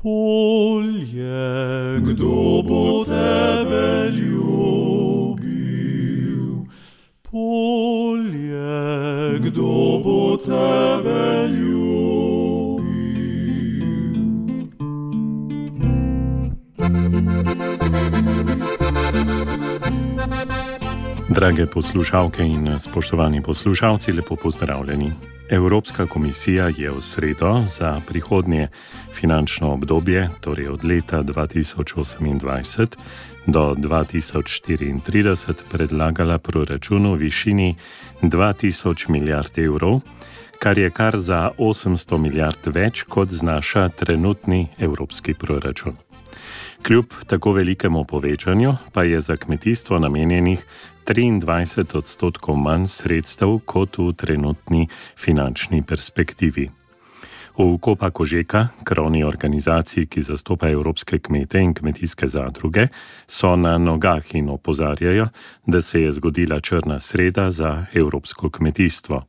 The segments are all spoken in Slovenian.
Polje, kdo bo tebe ljubil? Polje, kdo bo tebe ljubil? Drage poslušalke in spoštovani poslušalci, lepo pozdravljeni. Evropska komisija je v sredo za prihodnje finančno obdobje, torej od leta 2028 do 2034, predlagala proračun v višini 2000 milijard evrov, kar je kar za 800 milijard več, kot znaša trenutni evropski proračun. Kljub tako velikemu povečanju pa je za kmetijstvo namenjenih 23% manj sredstev kot v trenutni finančni perspektivi. V Copa Cogeca, krovni organizaciji, ki zastopa evropske kmete in kmetijske zadruge, so na nogah in opozarjajo, da se je zgodila črna sreda za evropsko kmetijstvo.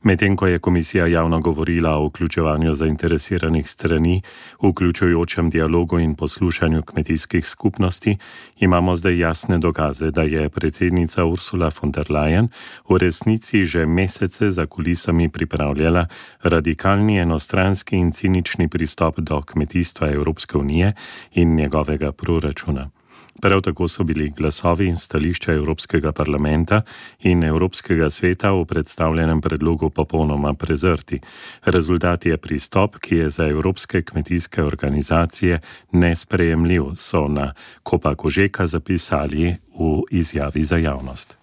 Medtem ko je komisija javno govorila o vključevanju zainteresiranih strani, vključujočem dialogu in poslušanju kmetijskih skupnosti, imamo zdaj jasne dokaze, da je predsednica Ursula von der Leyen v resnici že mesece za kulisami pripravljala radikalni, enostranski in cinični pristop do kmetijstva Evropske unije in njegovega proračuna. Prav tako so bili glasovi in stališča Evropskega parlamenta in Evropskega sveta v predstavljenem predlogu popolnoma prezrti. Rezultat je pristop, ki je za evropske kmetijske organizacije nesprejemljiv, so na Copa Cogeca zapisali v izjavi za javnost.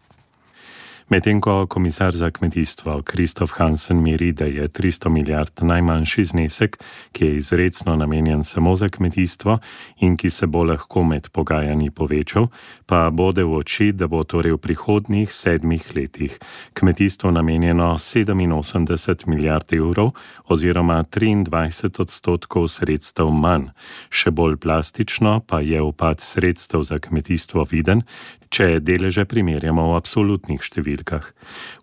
Medtem ko komisar za kmetijstvo Kristof Hansen meri, da je 300 milijard najmanjši znesek, ki je izrecno namenjen samo za kmetijstvo in ki se bo lahko med pogajanji povečal, pa bode v oči, da bo torej v prihodnjih 7 letih kmetijstvo namenjeno 87 milijard evrov oziroma 23% sredstev manj. Še bolj plastično pa je upad sredstev za kmetijstvo viden, če deleže primerjamo v absolutnih številkah.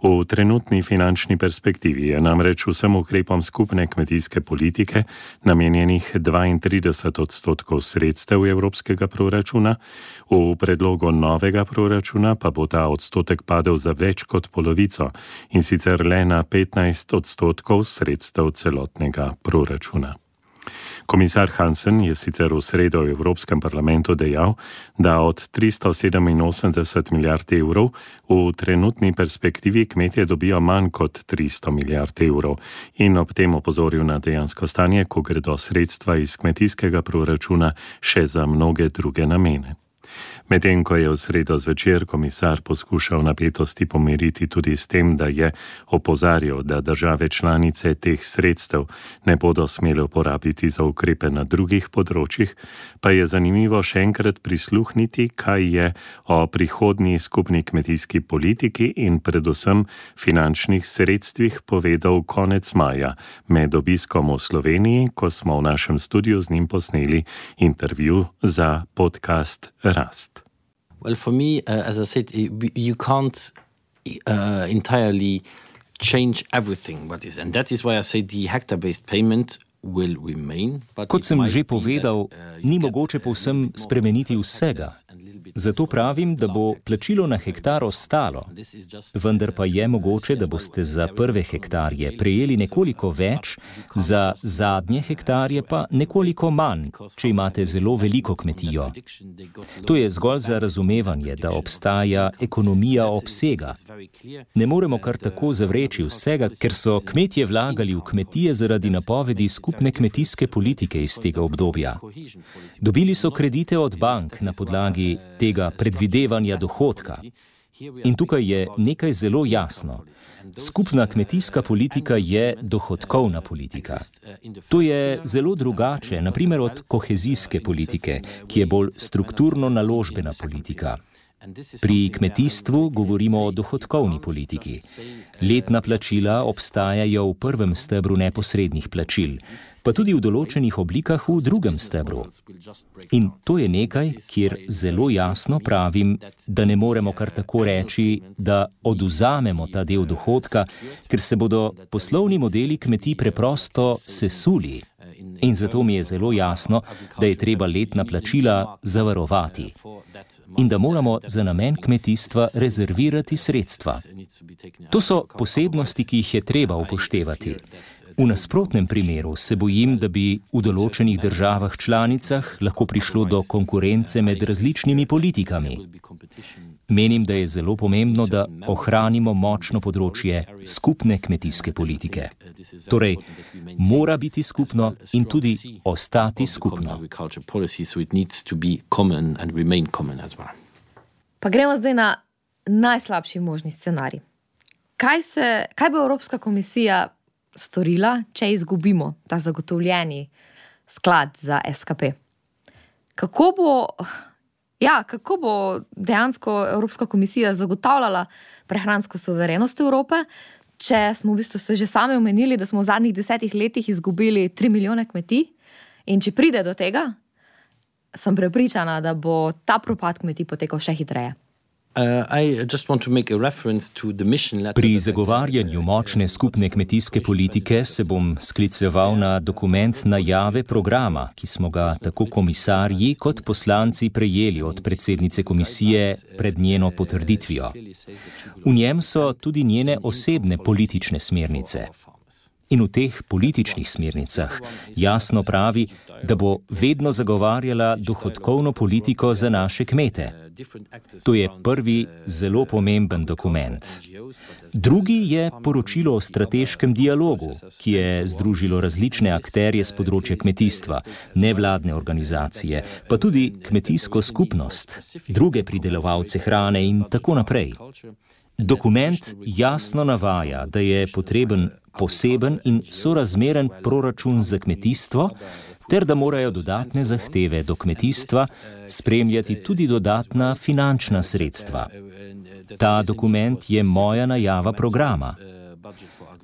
V trenutni finančni perspektivi je namreč vsem ukrepom skupne kmetijske politike namenjenih 32% sredstev evropskega proračuna, v predlogu novega proračuna pa bo ta odstotek padel za več kot polovico in sicer le na 15% sredstev celotnega proračuna. Komisar Hansen je sicer v sredo v Evropskem parlamentu dejal, da od 387 milijard evrov v trenutni perspektivi kmetje dobijo manj kot 300 milijard evrov in ob tem opozoril na dejansko stanje, ko gredo sredstva iz kmetijskega proračuna še za mnoge druge namene. Medtem ko je v sredo zvečer komisar poskušal napetosti pomiriti tudi s tem, da je opozarjal, da države članice teh sredstev ne bodo smele uporabiti za ukrepe na drugih področjih, pa je zanimivo še enkrat prisluhniti, kaj je o prihodnji skupni kmetijski politiki in predvsem finančnih sredstvih povedal konec maja med obiskom v Sloveniji, ko smo v našem studiu z njim posneli intervju za podcast Rast. Well, for me, as I said, you can't entirely change everything what is, and that is why I say the hectare-based payment will remain. Kot sem že povedal, ni mogoče povsem spremeniti vsega. Zato pravim, da bo plačilo na hektar ostalo, vendar pa je mogoče, da boste za prve hektarje prejeli nekoliko več, za zadnje hektarje pa nekoliko manj, če imate zelo veliko kmetijo. To je zgolj za razumevanje, da obstaja ekonomija obsega. Ne moremo kar tako zavreči vsega, ker so kmetje vlagali v kmetije zaradi napovedi skupne kmetijske politike iz tega obdobja. Dobili so kredite od bank na podlagi tega predvidevanja dohodka. In tukaj je nekaj zelo jasno. Skupna kmetijska politika je dohodkovna politika. To je zelo drugače, na primer od kohezijske politike, ki je bolj strukturno naložbena politika. Pri kmetijstvu govorimo o dohodkovni politiki. Letna plačila obstajajo v prvem stebru neposrednih plačil, pa tudi v določenih oblikah v drugem stebru. In to je nekaj, kjer zelo jasno pravim, da ne moremo kar tako reči, da odvzamemo ta del dohodka, ker se bodo poslovni modeli kmetij preprosto sesuli. In zato mi je zelo jasno, da je treba letna plačila zavarovati in da moramo za namen kmetijstva rezervirati sredstva. To so posebnosti, ki jih je treba upoštevati. V nasprotnem primeru se bojim, da bi v določenih državah članicah lahko prišlo do konkurence med različnimi politikami. Menim, da je zelo pomembno, da ohranimo močno področje skupne kmetijske politike. Torej, mora biti skupno in tudi ostati skupno. Pa gremo zdaj na najslabši možni scenarij. Kaj bo Evropska komisija storila, če izgubimo ta zagotovljeni sklad za SKP? Kako bo dejansko Evropska komisija zagotavljala prehransko suverenost Evrope, če smo v bistvu ste že sami omenili, da smo v zadnjih 10 letih izgubili 3 milijone kmetij, in če pride do tega, sem prepričana, da bo ta propad kmetij potekal še hitreje. Pri zagovarjanju močne skupne kmetijske politike se bom skliceval na dokument najave programa, ki smo ga tako komisarji kot poslanci prejeli od predsednice komisije pred njeno potrditvijo. V njem so tudi njene osebne politične smernice. In v teh političnih smernicah jasno pravi, da bo vedno zagovarjala dohodkovno politiko za naše kmete. To je prvi zelo pomemben dokument. Drugi je poročilo o strateškem dialogu, ki je združilo različne akterje z področja kmetijstva, nevladne organizacije, pa tudi kmetijsko skupnost, druge pridelovalce hrane in tako naprej. Dokument jasno navaja, da je potreben poseben in sorazmeren proračun za kmetijstvo, ter da morajo dodatne zahteve do kmetijstva spremljati tudi dodatna finančna sredstva. Ta dokument je moja najava programa.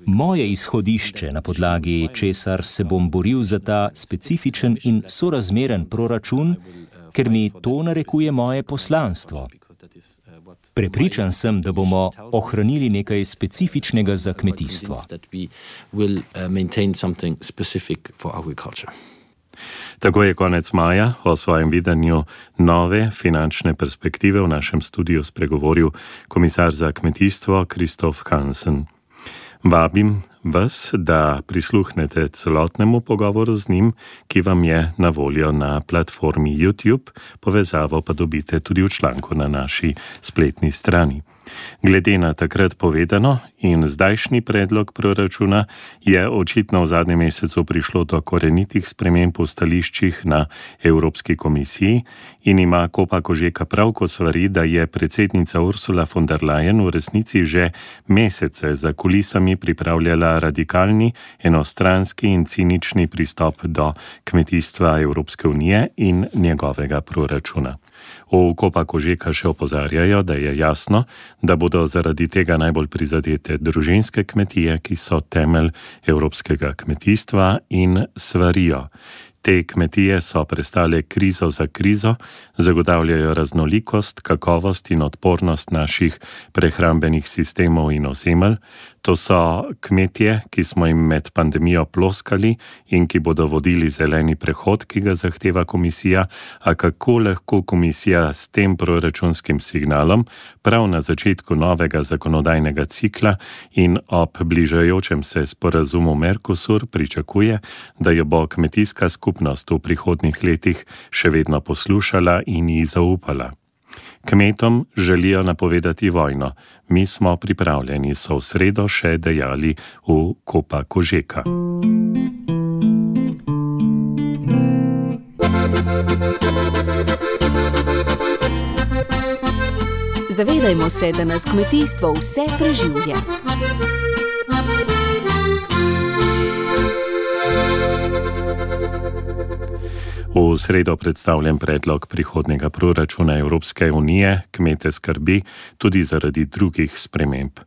Moje izhodišče, na podlagi česar se bom boril za ta specifičen in sorazmeren proračun, ker mi to narekuje moje poslanstvo. Prepričan sem, da bomo ohranili nekaj specifičnega za kmetijstvo. Tako je konec maja o svojem videnju nove finančne perspektive v našem studiu spregovoril komisar za kmetijstvo Kristof Hansen. Vabim vas, da prisluhnete celotnemu pogovoru z njim, ki vam je na voljo na platformi YouTube, povezavo pa dobite tudi v članku na naši spletni strani. Glede na takrat povedano in zdajšnji predlog proračuna je očitno v zadnjem mesecu prišlo do korenitih sprememb v stališčih na Evropski komisiji in ima Kopa Kožeka prav, ko svari, da je predsednica Ursula von der Leyen v resnici že mesece za kulisami pripravljala radikalni, enostranski in cinični pristop do kmetijstva Evropske unije in njegovega proračuna. V Kopa Kožeka še opozarjajo, da je jasno, da bodo zaradi tega najbolj prizadete družinske kmetije, ki so temelj evropskega kmetijstva, in svarijo. Te kmetije so prestale krizo za krizo, zagotavljajo raznolikost, kakovost in odpornost naših prehrambenih sistemov in ozemelj. To so kmetje, ki smo jim med pandemijo ploskali in ki bodo vodili zeleni prehod, ki ga zahteva komisija, a kako lahko komisija s tem proračunskim signalom prav na začetku novega zakonodajnega cikla in ob bližajočem se sporazumu Mercosur pričakuje, da jo bo kmetijska skupnost v prihodnjih letih še vedno poslušala in ji zaupala. Kmetom želijo napovedati vojno. Mi smo pripravljeni, so v sredo še dejali v Kopa Kožeka. Zavedajmo se, da nas kmetijstvo vse preživlja. V sredo predstavljen predlog prihodnjega proračuna Evropske unije kmete skrbi tudi zaradi drugih sprememb.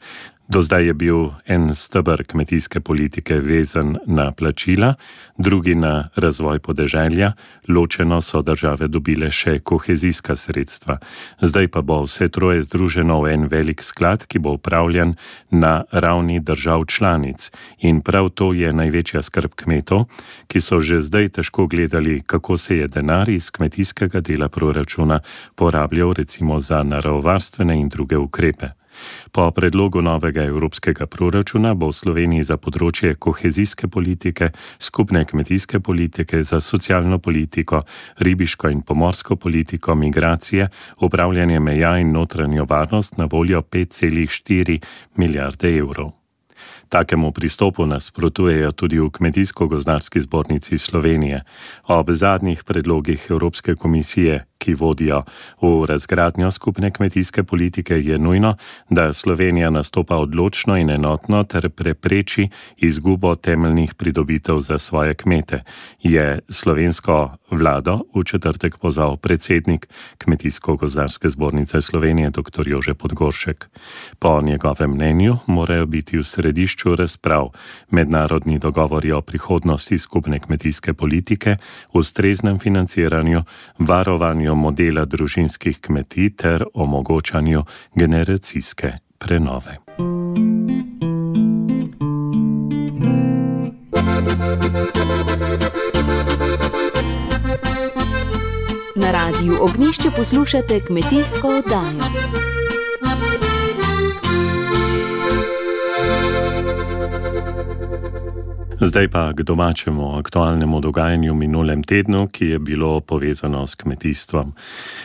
Do zdaj je bil en steber kmetijske politike vezan na plačila, drugi na razvoj podeželja, ločeno so države dobile še kohezijska sredstva. Zdaj pa bo vse troje združeno v en velik sklad, ki bo upravljan na ravni držav članic. In prav to je največja skrb kmetov, ki so že zdaj težko gledali, kako se je denar iz kmetijskega dela proračuna porabljal recimo za naravovarstvene in druge ukrepe. Po predlogu novega evropskega proračuna bo v Sloveniji za področje kohezijske politike, skupne kmetijske politike, za socialno politiko, ribiško in pomorsko politiko, migracije, upravljanje meja in notranjo varnost na voljo 5,4 milijarde evrov. Takemu pristopu nasprotujejo tudi v Kmetijsko-gozdarski zbornici Slovenije. Ob zadnjih predlogih Evropske komisije, ki vodijo v razgradnjo skupne kmetijske politike, je nujno, da Slovenija nastopa odločno in enotno ter prepreči izgubo temeljnih pridobitev za svoje kmete, je slovensko vlado v četrtek pozval predsednik Kmetijsko-gozdarske zbornice Slovenije dr. Jože Podgoršek. Po njegovem mnenju morajo biti v središču razprav mednarodni dogovori o prihodnosti skupne kmetijske politike, ustreznem financiranju, varovanju modela družinskih kmetij ter omogočanju generacijske prenove. Na Radiu Ognjišče poslušate kmetijsko oddajo. Zdaj pa k domačemu aktualnemu dogajanju v minulem tednu, ki je bilo povezano s kmetijstvom.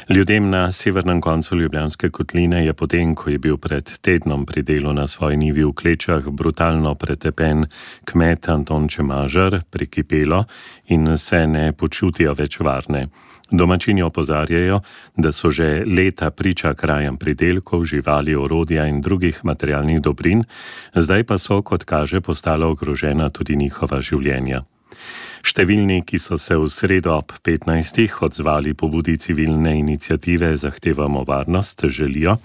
Ljudem na severnem koncu Ljubljanske kotline je potem, ko je bil pred tednom pri delu na svoji njivi v Klečah brutalno pretepen kmet Anton Čemažar, prikipelo in se ne počutijo več varne. Domačini opozarjajo, da so že leta priča krajem pridelkov, živali, orodja in drugih materialnih dobrin, zdaj pa so, kot kaže, postala ogrožena tudi njihova življenja. Številni, ki so se v sredo ob 15. odzvali pobudi civilne iniciative Zahtevamo varnost, želijo,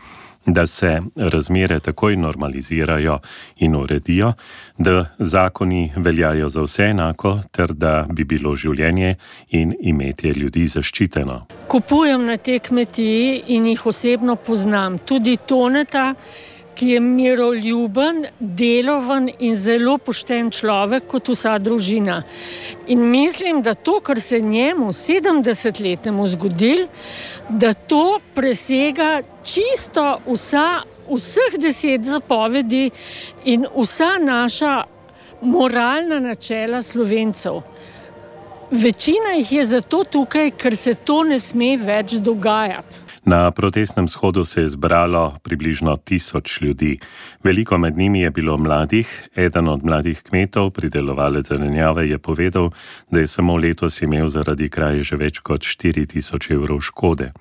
da se razmere takoj normalizirajo in uredijo, da zakoni veljajo za vse enako, ter da bi bilo življenje in imetje ljudi zaščiteno. Kupujem na tej kmetiji in jih osebno poznam. Tudi Toneta, ki je miroljuben, deloven in zelo pošten človek kot vsa družina. In mislim, da to, kar se njemu 70-letnemu zgodil, da to presega čisto vseh 10 zapovedi in vsa naša moralna načela Slovencev. Večina jih je zato tukaj, ker se to ne sme več dogajati. Na protestnem shodu se je zbralo približno 1000 ljudi. Veliko med njimi je bilo mladih. Eden od mladih kmetov, pridelovalec zelenjave, je povedal, da je samo letos imel zaradi kraje že več kot 4000 evrov škode.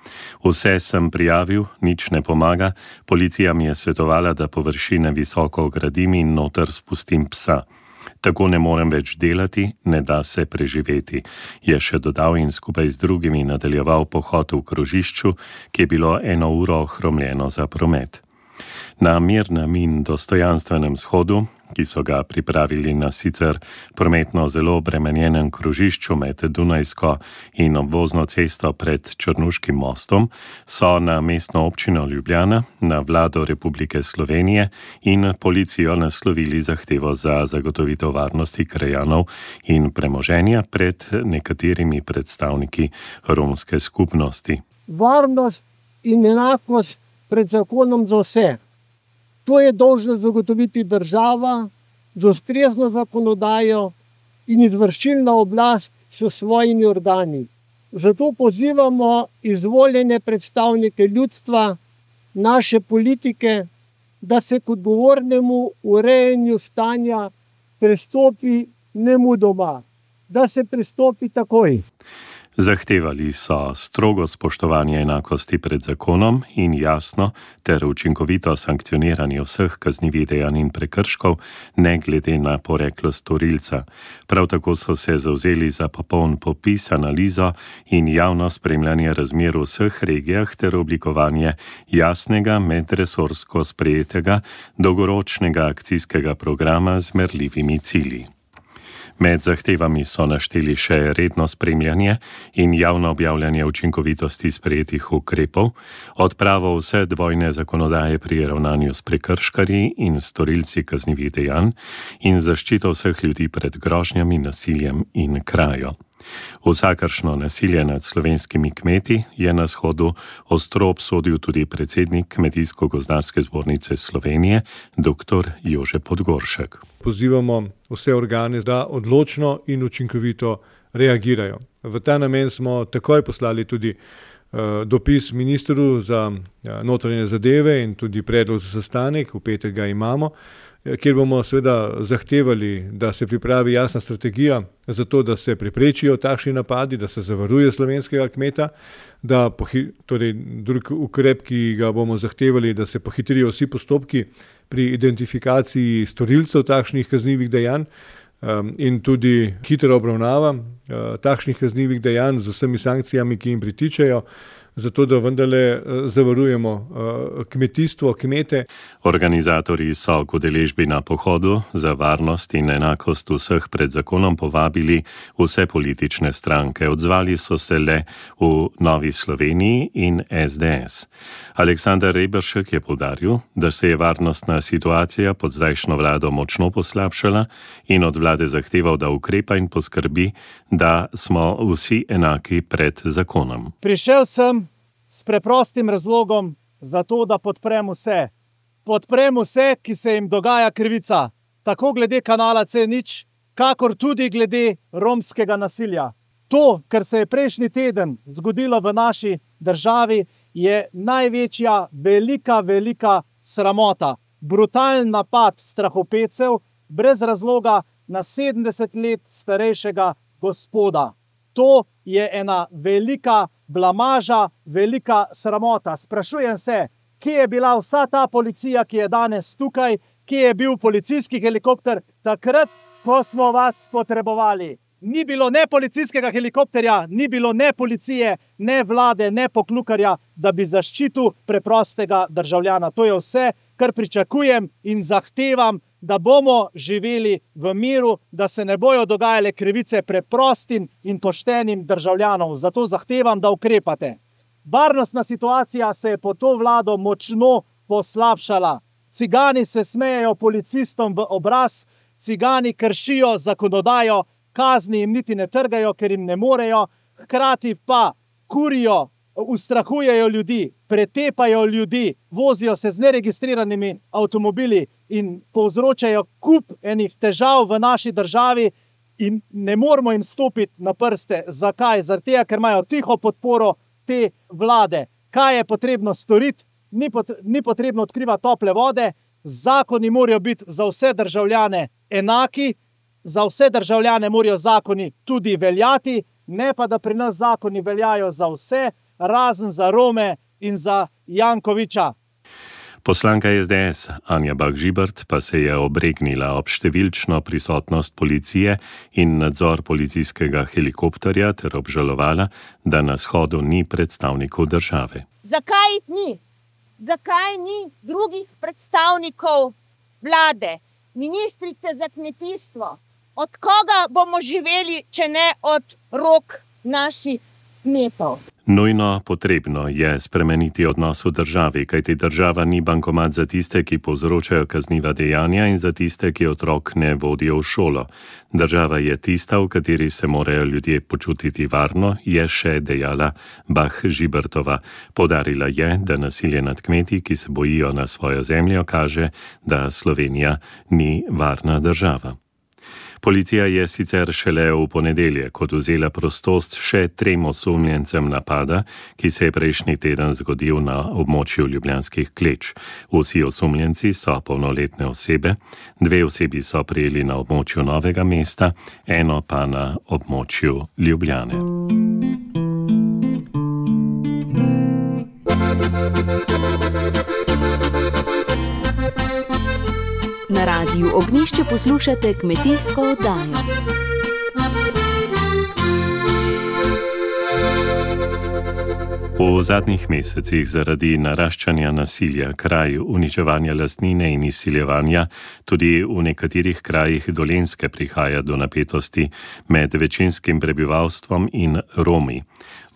Vse sem prijavil, nič ne pomaga. Policija mi je svetovala, da površine visoko ogradim in noter spustim psa. Tako ne morem več delati, ne da se preživeti, je še dodal in skupaj z drugimi nadaljeval pohod v krožišču, ki je bilo 1 uro ohromljeno za promet. Na mirnem in dostojanstvenem shodu, ki so ga pripravili na sicer prometno zelo obremenjenem krožišču med Dunajsko in obvozno cesto pred Črnuškim mostom, so na mestno občino Ljubljana, na vlado Republike Slovenije in policijo naslovili zahtevo za zagotovitev varnosti krajanov in premoženja pred nekaterimi predstavniki romske skupnosti. Varnost in enakost pred zakonom za vse. To je dolžna zagotoviti država z ustrezno zakonodajo in izvršilna oblast s svojimi organi. Zato pozivamo izvoljene predstavnike ljudstva, naše politike, da se k odgovornemu urejanju stanja pristopi nemudoma, da se pristopi takoj. Zahtevali so strogo spoštovanje enakosti pred zakonom in jasno ter učinkovito sankcioniranje vseh kaznivih dejanj in prekrškov, ne glede na poreklo storilca. Prav tako so se zavzeli za popoln popis, analizo in javno spremljanje razmer v vseh regijah ter oblikovanje jasnega medresorsko sprejetega dolgoročnega akcijskega programa z merljivimi cilji. Med zahtevami so našteli še redno spremljanje in javno objavljanje učinkovitosti sprejetih ukrepov, odpravo vse dvojne zakonodaje pri ravnanju s prekrškarji in storilci kaznivih dejanj in zaščito vseh ljudi pred grožnjami, nasiljem in krajo. Vsakršno nasilje nad slovenskimi kmeti je na shodu ostro obsodil tudi predsednik Kmetijsko-gozdarske zbornice Slovenije, dr. Jože Podgoršek. Pozivamo vse organe, da odločno in učinkovito reagirajo. V ta namen smo takoj poslali tudi dopis ministru za notranje zadeve in tudi predlog za sestanek, v petek ga imamo, kjer bomo seveda zahtevali, da se pripravi jasna strategija za to, da se preprečijo takšni napadi, da se zavaruje slovenskega kmeta, da drug ukrep, ki ga bomo zahtevali, da se pohitrijo vsi postopki pri identifikaciji storilcev takšnih kaznivih dejanj in tudi hitra obravnava takšnih kaznivih dejanj z vsemi sankcijami, ki jim pritičejo, zato da vendarle zavarujemo kmetijstvo, kmete. Organizatorji so k udeležbi na pohodu za varnost in enakost vseh pred zakonom povabili vse politične stranke. Odzvali so se le v Novi Sloveniji in SDS. Aleksander Reberšek je poudaril, da se je varnostna situacija pod zdajšnjo vlado močno poslabšala in od vlade zahteval, da ukrepa in poskrbi, da smo vsi enaki pred zakonom. Prišel sem s preprostim razlogom za to, da podprem vse. Podprem vse, ki se jim dogaja krivica, tako glede kanala C0, kakor tudi glede romskega nasilja. To, kar se je prejšnji teden zgodilo v naši državi, je največja, velika sramota. Brutalen napad strahopetcev brez razloga na 70 let starejšega gospoda. To je ena velika blamaža, velika sramota. Sprašujem se, kje je bila vsa ta policija, ki je danes tukaj, kje je bil policijski helikopter takrat, ko smo vas potrebovali. Ni bilo ne policijskega helikopterja, ni bilo ne policije, ne vlade, ne poklukarja, da bi zaščitil preprostega državljana. To je vse, kar pričakujem in zahtevam, da bomo živeli v miru, da se ne bojo dogajale krivice preprostim in poštenim državljanom. Zato zahtevam, da ukrepate. Varnostna situacija se je pod to vlado močno poslabšala. Cigani se smejejo policistom v obraz, cigani kršijo zakonodajo, kazni jim niti ne trgajo, ker jim ne morejo, hkrati pa kurijo, ustrahujejo ljudi, pretepajo ljudi, vozijo se z neregistriranimi avtomobili in povzročajo kup enih težav v naši državi in ne moramo jim stopiti na prste. Zakaj? Zaradi tega, ker imajo tiho podporo te vlade. Kaj je potrebno storiti? Ni potrebno odkrivati tople vode, zakoni morajo biti za vse državljane enaki, za vse državljane morajo zakoni tudi veljati, ne pa da pri nas zakoni veljajo za vse, razen za Rome in za Jankoviča. Poslanka SDS Anja Bah Žibert pa se je obregnila ob številčno prisotnost policije in nadzor policijskega helikopterja ter obžalovala, da na shodu ni predstavnikov države. Zakaj ni? Zakaj ni drugih predstavnikov vlade, ministrice za kmetijstvo? Od koga bomo živeli, če ne od rok naših kmetov? Nujno potrebno je spremeniti odnos v državi, kajti država ni bankomat za tiste, ki povzročajo kazniva dejanja in za tiste, ki otrok ne vodijo v šolo. Država je tista, v kateri se morajo ljudje počutiti varno, je še dejala Bah Žibertova. Poudarila je, da nasilje nad kmeti, ki se bojijo na svojo zemljo, kaže, da Slovenija ni varna država. Policija je sicer šele v ponedeljek odvzela prostost še 3 osumljencem napada, ki se je prejšnji teden zgodil na območju Ljubljanskih Kleč. Vsi osumljenci so polnoletne osebe, 2 osebi so prijeli na območju Novega mesta, eno pa na območju Ljubljane. Na Radiu Ognjišče poslušate kmetijsko oddajo. V zadnjih mesecih zaradi naraščanja nasilja, kraj uničevanja lastnine in izsiljevanja, tudi v nekaterih krajih Dolenjske prihaja do napetosti med večinskim prebivalstvom in Romi.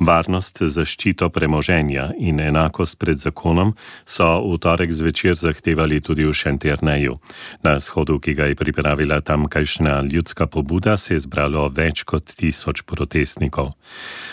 Varnost, zaščito premoženja in enakost pred zakonom so v torek zvečer zahtevali tudi v Šentjerneju. Na shodu, ki ga je pripravila tamkajšnja ljudska pobuda, se je zbralo več kot 1000 protestnikov.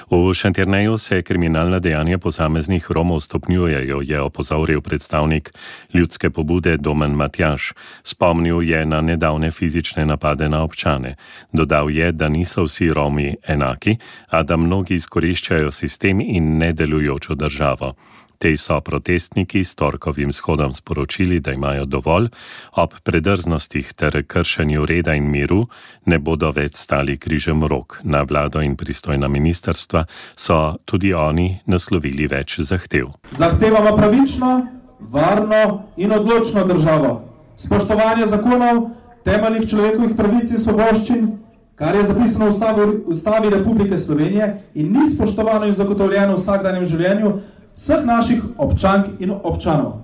V Šentjerneju se kriminalna dejanja posameznih Romov stopnjujejo, je opozoril predstavnik ljudske pobude Domen Matjaž. Spomnil je na nedavne fizične napade na občane. Dodal je, da niso vsi Romi enaki, a da mnogi izkoriščajo sistem in nedelujočo državo. Tej so protestniki s torkovim shodom sporočili, da imajo dovolj, ob predrznostih ter kršenju reda in miru ne bodo več stali križem rok. Na vlado in pristojna ministrstva so tudi oni naslovili več zahtev. Zahtevamo pravično, varno in odločno državo, spoštovanje zakonov, temeljnih človekovih pravic in svoboščin, kar je zapisano v Ustavi Republike Slovenije in ni spoštovano in zagotovljeno v vsakdanjem življenju vseh naših občank in občanov.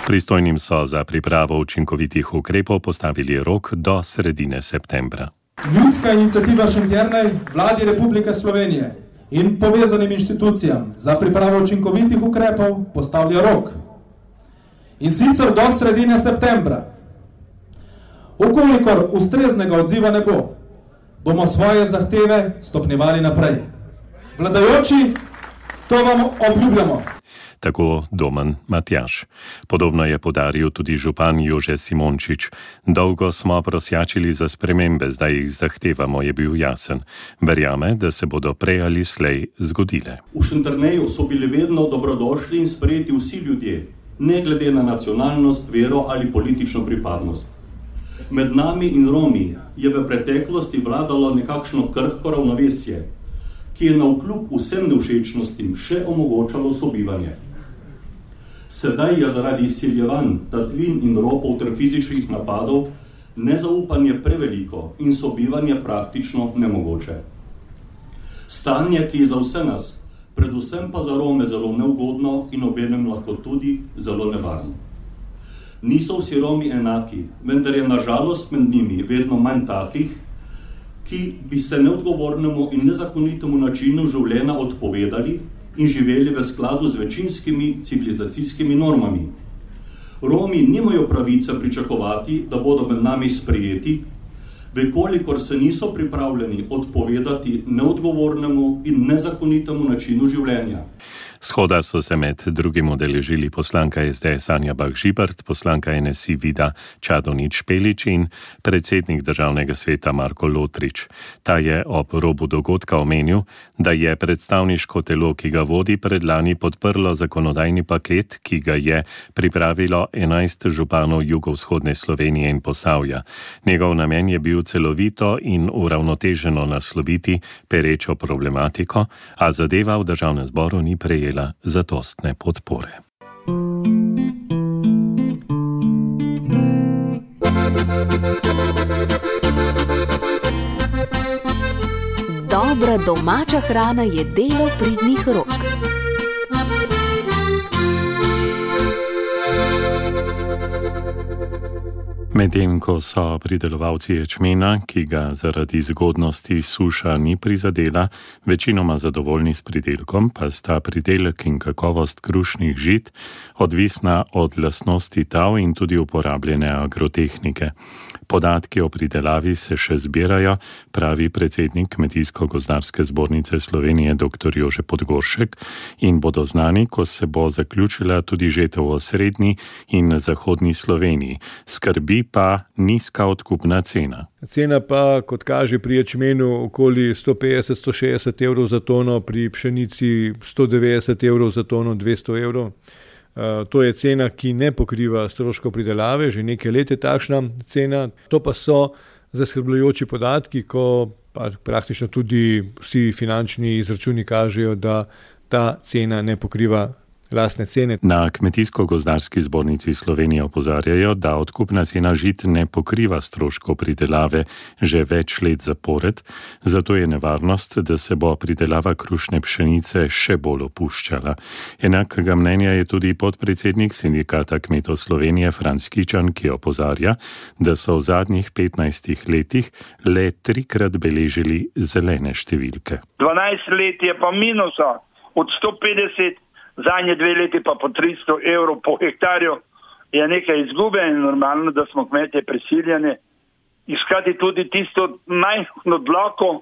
Pristojnim so za pripravo učinkovitih ukrepov postavili rok do sredine septembra. Ljudska iniciativa Šentjernej Vladi Republike Slovenije in povezanim inštitucijam za pripravo učinkovitih ukrepov postavlja rok. In sicer do sredine septembra. Ukolikor ustreznega odziva ne bo, bomo svoje zahteve stopnjevali naprej. Vladajoči, to vam obljubljamo. Tako Domen Matjaž. Podobno je podaril tudi župan Jože Simončič. Dolgo smo prosjačili za spremembe, zdaj jih zahtevamo, je bil jasen. Verjame, da se bodo prej ali slej zgodile. V Šentjerneju so bili vedno dobrodošli in sprejeti vsi ljudje, ne glede na nacionalnost, vero ali politično pripadnost. Med nami in Romi je v preteklosti vladalo nekakšno krhko ravnovesje, ki je navkljub vsem nevšečnostim še omogočalo sobivanje. Sedaj je zaradi izsiljevanj, tatvin in ropov ter fizičnih napadov nezaupanje preveliko in sobivanje praktično nemogoče. Stanje, ki je za vse nas, predvsem pa za Rome zelo neugodno in obenem lahko tudi zelo nevarno. Niso vsi Romi enaki, vendar je na žalost med njimi vedno manj takih, ki bi se neodgovornemu in nezakonitemu načinu življenja odpovedali in živeli v skladu z večinskimi civilizacijskimi normami. Romi nimajo pravice pričakovati, da bodo med nami sprejeti, vekolikor se niso pripravljeni odpovedati neodgovornemu in nezakonitemu načinu življenja. Shoda so se med drugim udeležili poslanka SDS Anja Bah Žibert, poslanka NSI Vida Čadonič-Špelič in predsednik državnega sveta Marko Lotrič. Ta je ob robu dogodka omenil, da je predstavniško telo, ki ga vodi, predlani podprlo zakonodajni paket, ki ga je pripravilo 11 županov jugovzhodne Slovenije in Posavja. Njegov namen je bil celovito in uravnoteženo nasloviti perečo problematiko, a zadeva v državnem zboru ni prejela zadostne podpore. Dobra domača hrana je delo pridnih rok. Medtem ko so pridelovalci ječmena, ki ga zaradi zgodnosti suša ni prizadela, večinoma zadovoljni s pridelkom, pa sta pridelek in kakovost krušnih žit odvisna od lastnosti tal in tudi uporabljene agrotehnike. Podatki o pridelavi se še zbirajo, pravi predsednik Kmetijsko-gozdarske zbornice Slovenije dr. Jože Podgoršek, in bodo znani, ko se bo zaključila tudi žetev v srednji in zahodni Sloveniji. Skrbi pa nizka odkupna cena. Cena pa, kot kaže pri ječmenu, okoli 150-160 evrov za tono, pri pšenici 190 evrov za tono, 200 evrov. To je cena, ki ne pokriva stroškov pridelave, že nekaj let je takšna cena. To pa so zaskrbljujoči podatki, ko pa praktično tudi vsi finančni izračuni kažejo, da ta cena ne pokriva lastne cene. Na Kmetijsko-gozdarski zbornici Slovenije opozarjajo, da odkupna cena žit ne pokriva stroškov pridelave že več let zapored, zato je nevarnost, da se bo pridelava krušne pšenice še bolj opuščala. Enakega mnenja je tudi podpredsednik Sindikata kmetov Slovenije Franc Kičan, ki opozarja, da so v zadnjih 15 letih le 3-krat beležili zelene številke. 12 let je pa minusa od 150, zadnje 2 leti pa po 300 evrov po hektarju, je nekaj izgube in normalno, da smo kmetje prisiljeni iskati tudi tisto majhno dlako,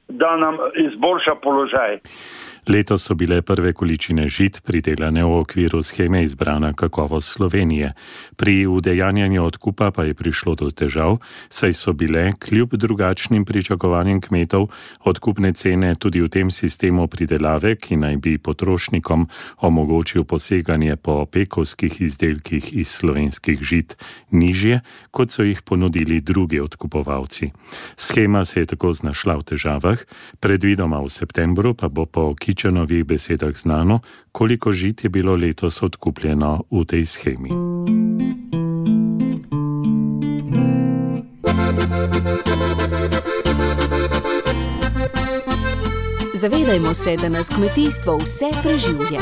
da nam izboljša položaj. Letos so bile prve količine žit pridelane v okviru sheme Izbrana kakovost Slovenije. Pri udejanjanju odkupa pa je prišlo do težav, saj so bile, kljub drugačnim pričakovanjem kmetov, odkupne cene tudi v tem sistemu pridelave, ki naj bi potrošnikom omogočil poseganje po pekovskih izdelkih iz slovenskih žit, nižje, kot so jih ponudili drugi odkupovalci. Shema se je tako znašla v težavah, predvidoma v septembru pa bo po Kičanovih besedah znano, koliko žit je bilo letos odkupljeno v tej shemi. Zavedajmo se, da nas kmetijstvo vse preživlja.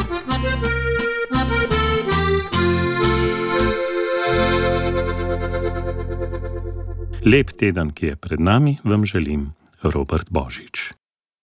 Lep teden, ki je pred nami, vam želim Robert Božič.